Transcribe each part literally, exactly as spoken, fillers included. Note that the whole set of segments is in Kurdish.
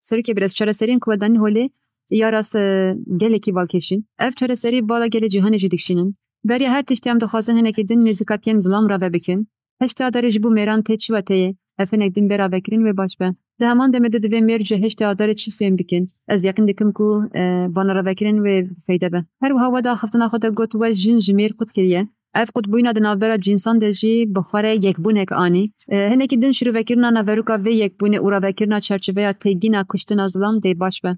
Serokê Birêz, çareseriyên ku we danîn holê ya rast, e, gelekî balkêş in. Ev çareserî bala gelê cîhanê jî dikişînin. Beriya her tiştî em dixwazin hinekî din nêzîkatiyên zilam rave bikin. Heştê Adarê ji bo mêran tê çi weteyê? Ev hinek din bê ravekirin wê baş be. Di heman demê de divê mêr ji heştê Adarê çi fêm bikin? Ez yeqîn dikim ku, e, vana ravekirin wê bi feyde be. Her wiha we di axiftina xwe de got we jin ji mêr qut kiriye. Ev qutbûyîna di navbera cînsan de jî bi xwe re yekbûnek anî. E, hinekî din şîrovekirina naveroka vê yekbûnê û ravekirina çarçoveya têgîna kuştina zilam dê baş be.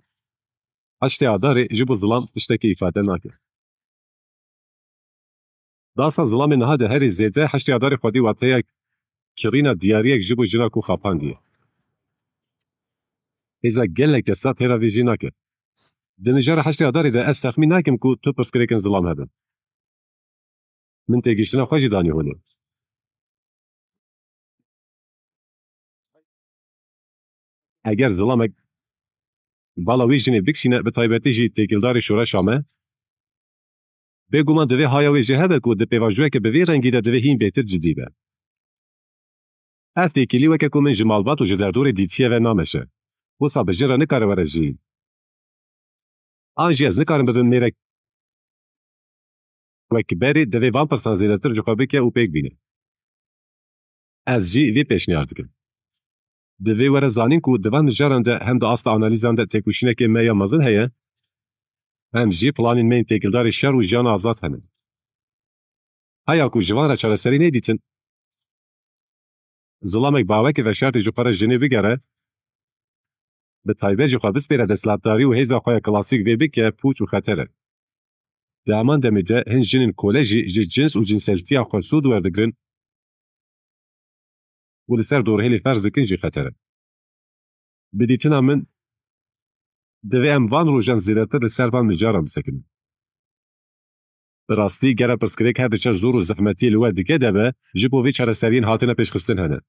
Heştê Adarê ji bo zilam tiştekî îfade nake. Dasta zilamê niha de herî zêde heştê Adarê xwedî wateya kirîna diyariyek ji bo jina ku xapandiye. Hêza gelek kesa têra vê jî nake. Di mijara heştê Adarê de ez texmîn nakim ku tu pirsgirêkên zilam hebin. Min têgihiştina xwe jî danî holê. Eger zilamek bala wî jinê bikişîne, bi taybetî jî têkildarî şoreşa me, bêguman divê haya wê jê hebe ku di pêvajoyeke bi vî rengî de divê hîn bêtir cidî be. Ev têkilî weke ku min ji malbat û ji derdorê dîtiye ve nameşe. Wisa bi jin re nikare were jiyîn. An jî ez nikarim bibim mêrek wek berê, divê van pirsan zêdetir ji xwe bike û pêk bîne. Ez jî vê pêşniyar dikim. Divê were zanîn ku di van mijaran de hem di asta analîzan de têkoşînekê me ya mezin heye, hem jî planên me yên têkildarî şer û jiyana azad hene. Heya ku ji van re çareserî nêdîtin, zilamek bi awekî veşartî ji xwe re jinê bigere, bi taybet jî xwe bispêre desthilatdarî û hêza xwe ya klasîk vê bike pûç û xeter e. Di heman demê de hin jinên kole jî ji cins û cinseltiya xwe sûd werdigrin û li ser dorhêlê ferz dikin jî xeter e. Bi dîtina min, divê em van rojan zêdetir li ser van mijaran bisekinin. Bi rastî, gere pirsgirêk her diçe zor û zehmetiyê li we dike de be, ji bo vê çareseriyên hatine pêşxistin hene.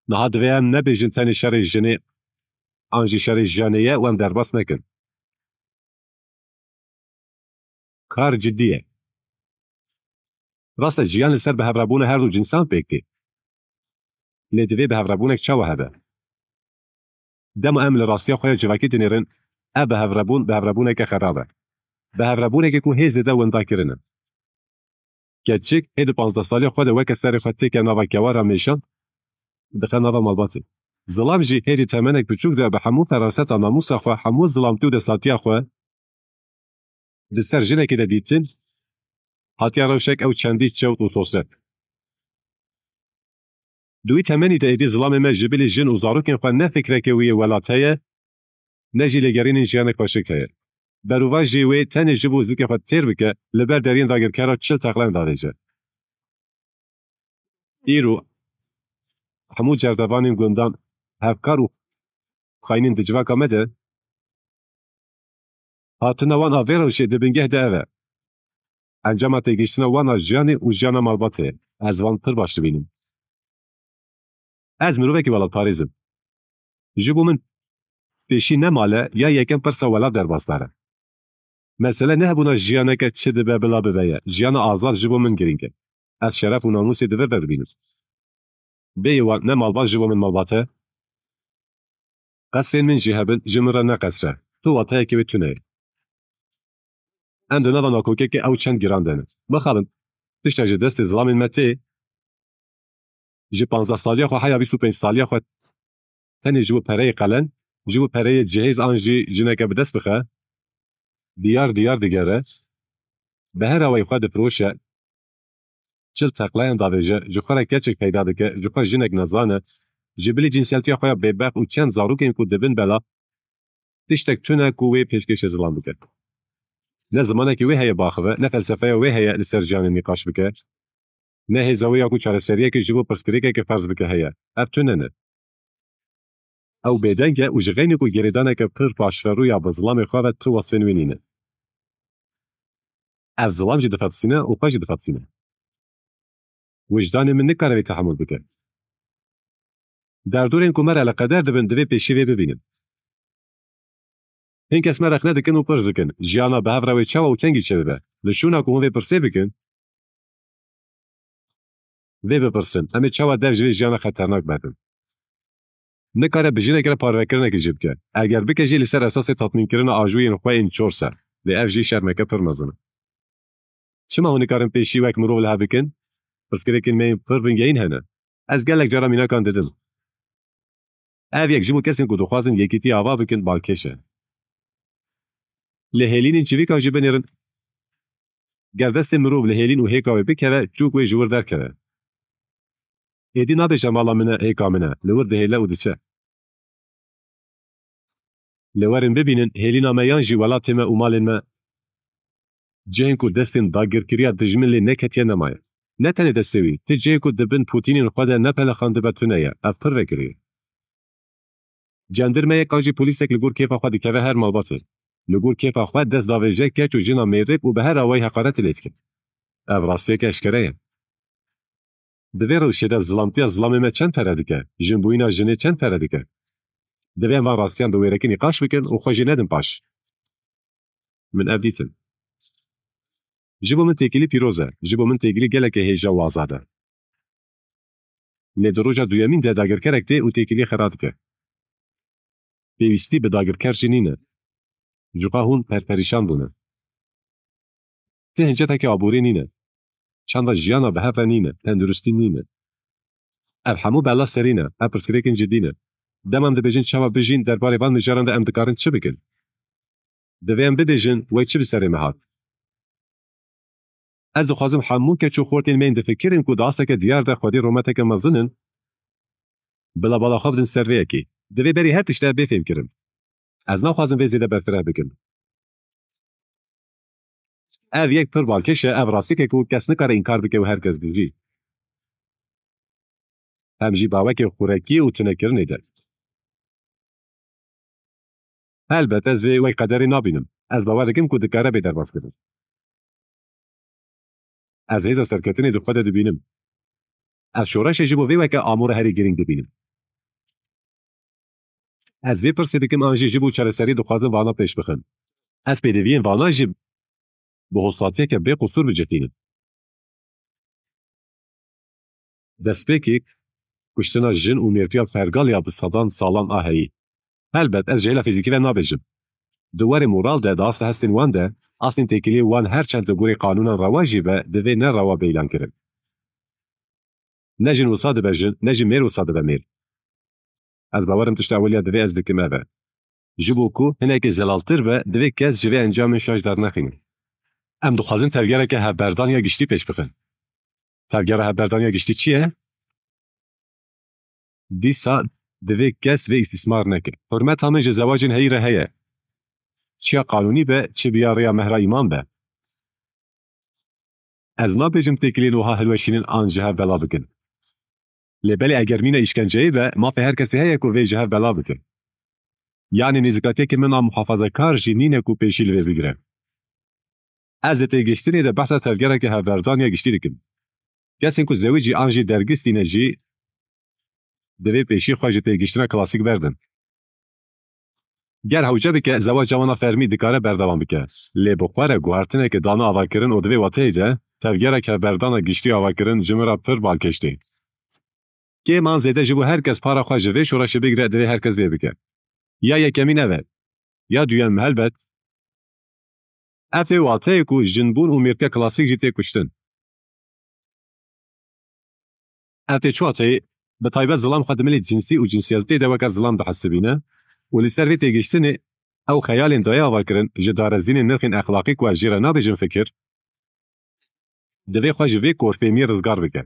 Niha divê em nebêjin tenê şerê jinê an jî şerê jiyanê ye û em derbas nekin. Kar cidî ye. Rast e, jiyan li ser bihevrabûna her du cinsan pêk tê. Lê divê bihevrabûnek çawa hebe? Dema em li rastiya xwe ya civakî dinêrin, ev bihevrabûn, bihevrabûneke xerab e. Bihevrabûnekê ku hê zêde winda kirine. Keçik hê di panzdeh saliya xwe de weke serê xwe têke nava kewara mêşan, dixe nava malbatê. Zilam jî hê di temenek biçûk de bi hemû feraseta namûsa xwe, hemû zilamtî û desthatiya xwe di ser jinekê de dîtin, hatiye rewşek ew çendî çewt û sosret. Di wî temenî de êdî zilamê me ji bilî jin û zarokên xwe ne fikrekê wî yê welat heye, ne jî lêgerînên jiyanek xweşik heye. Berovajî wê tenê ji bo zikê xwe têr bike, li ber deriyên dagirkera çil teqlen davêje. Îro hemû cerdevanên gundan hevkar û xaynên di civaka me de hatina wan a vê rewşê di bingeh de ev e. Encama têgihiştina wan a jiyanê û jiyana malbatê ye. Ez wan pir baş dibînim. Ez mirovekî welatparêz im. Ji bo min pêşî ne mal e ya yekem pirsa welat derbasdar e. Mesele ne hebûna jiyaneke çi dibe bila bibe ye. Jiyana azad ji bo min girîng e. Ez şeref û namûsê di vir de dibînim. Bêyî wan ne malbat ji bo min malbat e. Qesrên min jî hebin, ji min re ne qesr e. Tu wateyekê wê tune ye. Em di nava nakokekê ew çend giran de ne. Mixabin, tiştek ji destê zilamên me tê, ji panzdeh saliya xwe heya bîst û pênc saliya xwe tenê ji bo pereyê qelen, ji bo pereyê cihêz an jî jineke bi dest bixe, diyar diyar digere, bi her awayî xwe difiroşe, çil teqlayan davêje, ji xwe re keçek peyda dike, ji xwe jinek nezan e, ji bilî cinseltiya xwe ya bêbext û çend zarokên ku dibin bela, tiştek tune ku wê pêşkêşê zilam bike. Ne zimanekî wê heye biaxive, ne felsefeya wê heye li ser jiyanê nîqaş bike. Ne hêza wê ya ku çareseriyekê ji bo pirsgirêkekê ferz bike heye. Ev tune ne. Ew bêdeng e û ji xeynî ku girêdaneke pir paşverû ya bi zilamê xwe ve tu wesfên wê nîne. Ev zilam jî difetisîne û xwe jî difetisîne. Wijdanê min nikare vê tehemûl bike. Derdorên ku me re eleqeder dibin, divê pêşî vê bibînin. Hin kes me rexne dikin û pirs dikin, jiyana bi hev re wê çawa û kengî çêbibe? Li şûna ku hûn vê pirsê bikin, Vê bipirsin, em ê çawa dev ji vê jiyana xeternak berdin? Nikare bi jinekê re parvekirinekê jî bike. Eger bike jî li ser esasê tatmînkirina ajûyên xwe yên çor ser. Lê ev jî şermeke pir mezin e. Çima hûn nikarin pêşî wek mirov li hev bikin? Pirsgirêkên me yên pir vingehîn hene. Ez gelek cara mînakan didim. Ev yek ji bo kesên ku dixwazin yekîtiyê ava bikin balkêş e. Lê hêlînên çivîkan jî binêrin. Ger destê mirov li hêlîn û hêka wê bikeve, çûk wê ji wir derkeve. Êdî nabêje mala min e, hêka min e, li wir dihêle û diçe. Lê werin bibînin, hêlîna me yan jî welatê me û malên me cihên ku destên dagirkeriya dijmin lê neketiye nemaye. Ne tenê destê wî, ti cihê ku di bin pûtînên xwe de ne pelexandibe tune ye, ev pir vekirî ye. Cendirmeyek an jî polîsek li gor kêfa xwe dikeve her malbatê. Li gor kêfa xwe dest davêje keç û jina mêrik û bi her awayî heqaretê lê dike. Ev rastiyeke eşkere ye. Di vê rewşê de zilamtiya zilamê me çend pere dike? Jinbûyîna jinê çend pere dike? Divê em van rastiyan bi wêrekî nîqaş bikin û xwe jê nedin paş. Min ev dîtin. Ji bo min têkilî pîroz e. Ji bo min têkilî gelekê hêja û azad e. Lê di roja duyemîn de dagirkerek tê û têkiliyê xera dike. Pêwîstî bi dagirker jî nîne. Ji xwe hûn perperîşan bûne. Ti hincetekê aborî nîne. Çanda jiyana bi hev re nîne, tenduristî nîne. Ev hemû bela serî ne, ev pirsgirêkên cidî ne. Dema em dibêjin çawa bijîn, derbarê van mijaran de em dikarin çi bikin? Divê em bibêjin, wey çi bi serê me hat? Ez dixwazim hemû keç û xortên me yên difikirin ku di asteke diyar de xwedî rûmeteke mezin in, bila bala xwe bidin ser vê yekê. Divê berî her tişt ev bê fêmkirin. Ez naxwazim vê zêde berfireh bikim. Ev yek pir balkêş e, ev rastiyek e ku kes nikare înkar bike û her kes dijî. Hem jî bawekê xurekî û tunekirinê de. Helbet ez vê wek qederê nabînim. Ez bawer dikim ku dikare bê derbas kirin. Ez hêza serketinê di xwe de dibînim. Ez şoreşê ji bo vê weke amûra herî girîng dibînim. Ez vê pirsê dikim an jî ji bo çareserî dixwazim vana pêş bixin. Ez pêdiviyên vana jî bi hosatiyeke bê qusûr bicihînim. Destpêkê kuştina jin û mêrtiya pergal ya bi sedan salan a heyî. Helbet ez ji hêla fîzîkî ve nabêjim. Di warê moral de, di asta hestên wan de, aslên têkiliyê wan her çend li gorî qanûnan rewa jî be, divê ne rewa be îlankirin. Ne jin wisa dibe jin, ne jî mêr wisa dibe mêr. Ez bawerim tişta ewiliya divê ez dikim ev e. Ji bo ku hinekê zelaltir be, divê kes ji vê encamên şaş dernexîne. Em dixwazin tevgereke hevberdan ya giştî pêş bixin. Tevgera hevberdan ya giştî çi ye? Dîsa divê kes vê îstîsmar neke. Hurmeta min ji zewacên heyî re heye. Çi ya qanûnî be, çi bi ya rêya mehra îman be. Ez nabêjim têkiliyên wiha hilweşînin an ji hev bela bikin. Lê belê eger mîna îşkenceyê be, mafê her kesê heye ku vê ji hev bela bike. Yanî nêzîkatiyekê min a muhafazekar jî nîne ku pêşî li vê bigire. Ez di têgihiştinê de behsa tevgereke hevberdan ya giştî dikim. Kesên ku zewicî an jî dergistî ne jî divê pêşî xwe ji têgihiştina klasîk berdin. Ger hewce bike, zewaca wan a fermî dikare berdewam bike. Lê bi xwe re guhertineke dane avakirin û di vê wateyê de tevgerek hevberdana giştî avakirin ji min re pir balkêş tê. Kêm an zêde ji bo her kes para xwe ji vê şoreşê bigire, divê her kes vê bike. Ya yekemîn ev e. Ya duyem helbet. Ev tê wateyê ku jinbûn û mêrtiya klasîk jî tê kuştin. Ev tê çi wateyê? Bi taybet zilam xwe di milê cinsî û cinsiyetê de weke zilam dihesibîne û li ser vê têgihiştinê ew xeyalên daye avakirin ji darezînên nirxên exlaqî ku ez jê re nabêjim fikir, divê xwe ji vê korfêmiyê rizgar bike.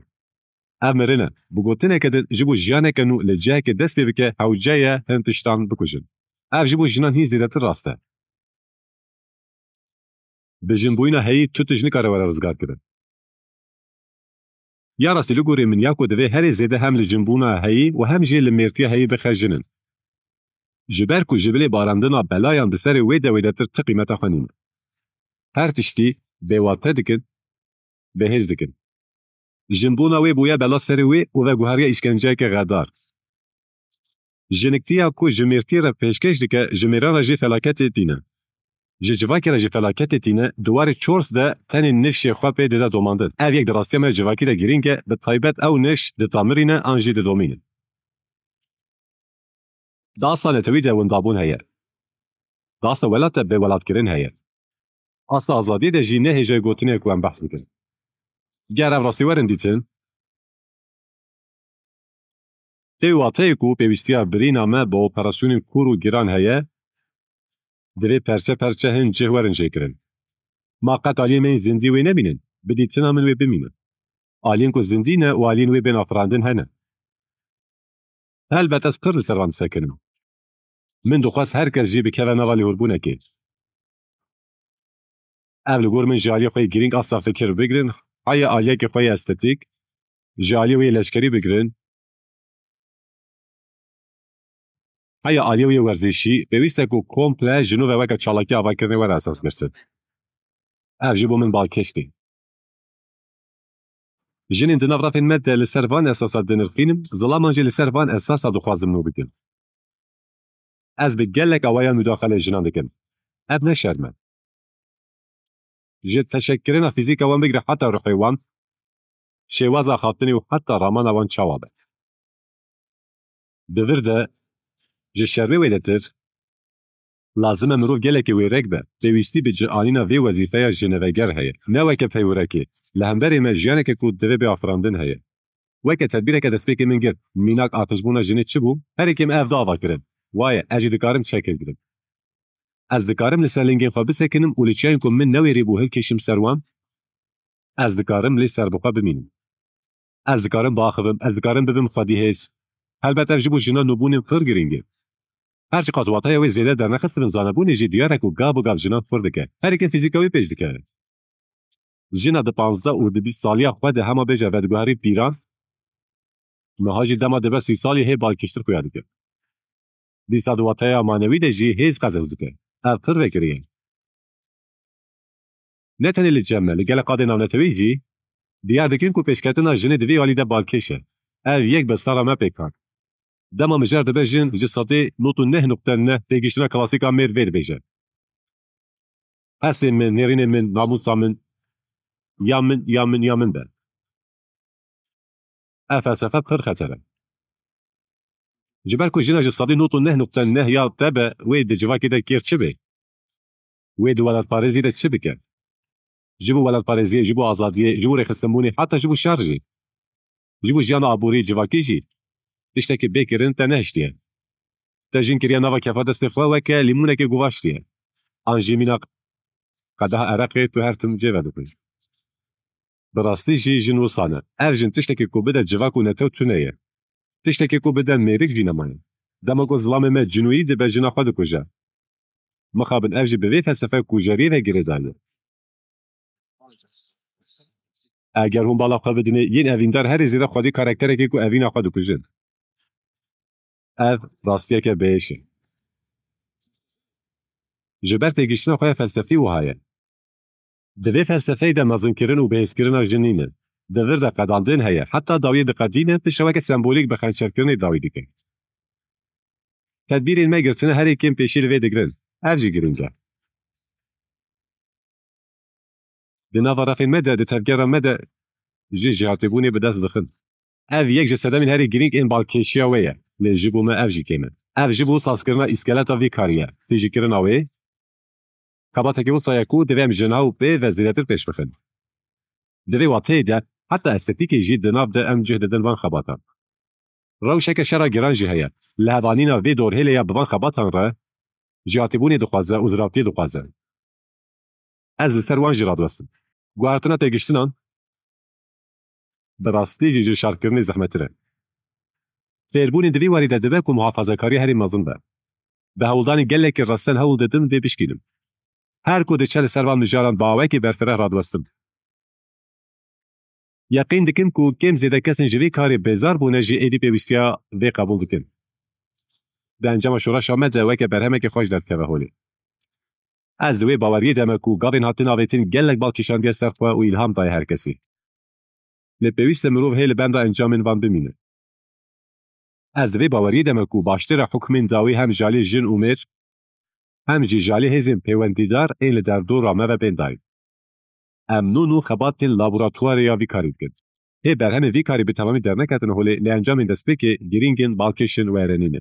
Ev mirin e. Bi gotineke din, ji bo jiyaneke nû li cihekê dest pê bike, hewce ye hin tiştan bikujin. Ev ji bo jinan hîn zêdetir rast e. Bi jinbûyîna heyî tu tişt nikare were rizgarkirin. Ya rastî li gorî min ya ku divê herê zêde hem li jinbûna heyî û hem jî li mêrtiya heyî bixe jin in. Ji ber ku ji bilê barandina belayan di serê wê de wêdetir ti qîmeta xwe nîne. Her tiştî bêwate dikin, bêhêz dikin. Jinbûna wê bûye bela serê wê û veguheriye îşkenceyeke xedar. Jiniktiya ku ji mêrtiyê re pêşkêş dike, ji mêran re jî felaketê tîne. Ji civakê re ji felaketê tîne, di warê çors de tenê nifşê xwe pê dide domandin. Ev yek di rastiya me civakî de girîng e, bi taybet ew nifş ditamirîne an jî didomînin. Di asta netewî de windabûn heye. Di asta welat de bêwelatkirin heye. Asta azadiyê de jî ne hêjayî gotinê ku em behs bikin. Ger ev rastî werin dîtin, tê wateyê ku pêwîstiya birîna me bi operasyonên kûr û giran heye, divê perçe perçe hin cih werin jêkirin. Ma qet aliyên me yên zindî wê nebînin, bi dîtina min wê bimînin. Aliyên ku zindî ne û aliyên wê bên afirandin hene. Helbet ez pir li ser van disekinim. Min dixwest her kes jî bikeve nava lihûrbûnekê. Ev li gor min ji aliyê xwe yê girîng asta fikir bigirin, heye aliyekê xwe yê estetîk, ji aliyê wê yê leşkerî bigirin, heye aliyê wê yê werzîşî, pêwîst e ku komple ji nû ve weke çalakî avakirinê were esas girtin. Ev ji bo min balkêş tê. Jinên di nav rafên me de li ser van esasa dinirxînim, zilaman jî li ser van esasa dixwazim nû bikin. Ez bi gelek awayan mudaxele jinan dikim. Ev ne şerm e. Ji teşekkirina fîzîka wan bigire heta ruhê wan, şêwaza xaptinê û heta ramana wan çawa be. Di vir de, ji şermê wêdetir, lazim e mirov gelekî wêrek be. Pêwîstî bi cianîna vê wezîfeya jineveger heye. Ne weke peywirekê. Li hemberê me jiyaneke ku divê bê afirandin heye. Weke tedbîreke destpêkê min girt, mînak artişbûna jinê çi bû? Herêkê me ev da ava kirin. Waye, ez jî dikarim çekê bigirim. Ez dikarim li ser lingên xwe bisekinim û li çiyayên ku min newêrîbû hilkêşim ser wan? Ez dikarim lê ser bi xwe bimînim. Ez dikarim biaxivim, ez dikarim bibim xwedî hêz. Helbet ev ji bo jinan nûbûnên pir girîng e. Her çiqas wateya wê zêde dernexistibin zanebûnê jî diyar e ku gav bi gav jinan xurt dike. Herêkê fîzîka wê pêş dike. Jina di panzdeh û di bîst saliya xwe de hema bêje vediguherî pîran, niha jî dema dibe sî salî hê balkêştir xuya dike. Dîsa di wateya manewî de jî hêz qezenc dike. Ev pir vekirî ye. Ne tenê li cem me, li gelek qadên navnetewî jî diyar dikin ku pêşketina jinê di vê alî de balkêş e. Ev yek bi sera me pêk hat. Dema mijar dibe jin ji sedê nod û neh nokte neh têgihiştina klasîka mêr vê dibêje. Hestên min, nêrînên min, namûsa min, ya min, ya min, ya min be. Ev felsefe pir xeter e. Ji ber ku jina ji sedî nod û neh nokte neh ya te be, wê di civakê de kêr çi bê? Wê di welatparêzî de çi bike? Ji bo welatparêziyê, ji bo azadiyê, ji bo rêxistinbûnê, heta ji bo şer jî. Ji bo jiyana aborî civakî jî tiştekî bê kirin te nehiştiye. Te jin kiriye nava kefa destê xwe weke lîmonekê guvaştiye. An jî mîna qedeha ereqê tu her tim cê vedixwî. Bi rastî jî jin wisa ne. Ev jin tiştekî ku bide civak û netew tune ye. Tiştekî ku bide mêrik jî nemaye. Dema ku zilamê me cinûyî dibe jina xwe dikuje. Mixabin ev jî bi vê felsefe kujeriyê ve girêdayî ye. Eger hûn bala xwe bidinê, yên evîndar herî zêde xwedî karakterekê ku evîna xwe dikujin. Ev rastiyeke bêhêş e. Ji ber têgihiştina xwe ya felsefî wiha ye. Di vê felsefeyê de mezinkirin û bihêzkirina jin nîne. Di vir de qedandin heye. Heta dawiyê diqedîne, piştre weke sembolîk bi xençerkirinê dawî dike. Tedbîrên me girtine herê kêm pêşî li vê digirin. Ev jî girîng e. Di nava refên me de, di tevgera me de jin jêhatîbûnê bi dest dixin. Ev yek ji sedemên herî girîng ên balkêşiya wê ye, lê ji bo me ev jî kêm e. Ev ji bo sazkirina îskeleta vî karî ye. Tijîkirina wê, xebatekî wisa ye ku divê em ji nav pê ve zêdetir pêş bixin. Di vê wateyê de, heta estetîkê jî di nav de em cih didin van xebatan. Rewşeke şera giran jî heye. Lihevanîna vê dorhêlê ya bi van xebatan re, jêhatîbûnê dixwaze û ziravtiyê dixwaze. Ez li ser wan jî radiwestim. Guhertina têgiştinan bi rastî jî ji şerkirinê zehmettir e. Fêrbûnê di vî warî de dibe ku muhafazekariya herî mezin be. Bi hewldanên gelekî resen hewl didim vê bişkînim. Her ku diçe li ser van mijaran bi awayekî berfireh radiwestim. Yeqîn dikim ku kêm zêde kesên ji vê karê bêzar bûne jî êdî pêwîstiya vê qebûl dikin. Di encama şoreşa me de weke berhemekê xweş derdikeve holê. Ez di wê baweriyê de me ku gavên hatin avêtin gelek bal kişandiye ser xwe û îlham daye her kesî. Lê pêwîst e mirov hê li benda encamên van bimîne. Ez di vê baweriyê de me ku baştir e hukmên dawî hem ji alî jin û mêr, hem jî ji alî hêzên pêwendîdar ên li derdora me ve bên dayîn. Em nû nû xebatên laboratuwarê ya vî karî dikin. Hê berhemên vî karî bi temamî derneketine holê, lê encamên destpêkê girîng in, balkêş in û erênî ne.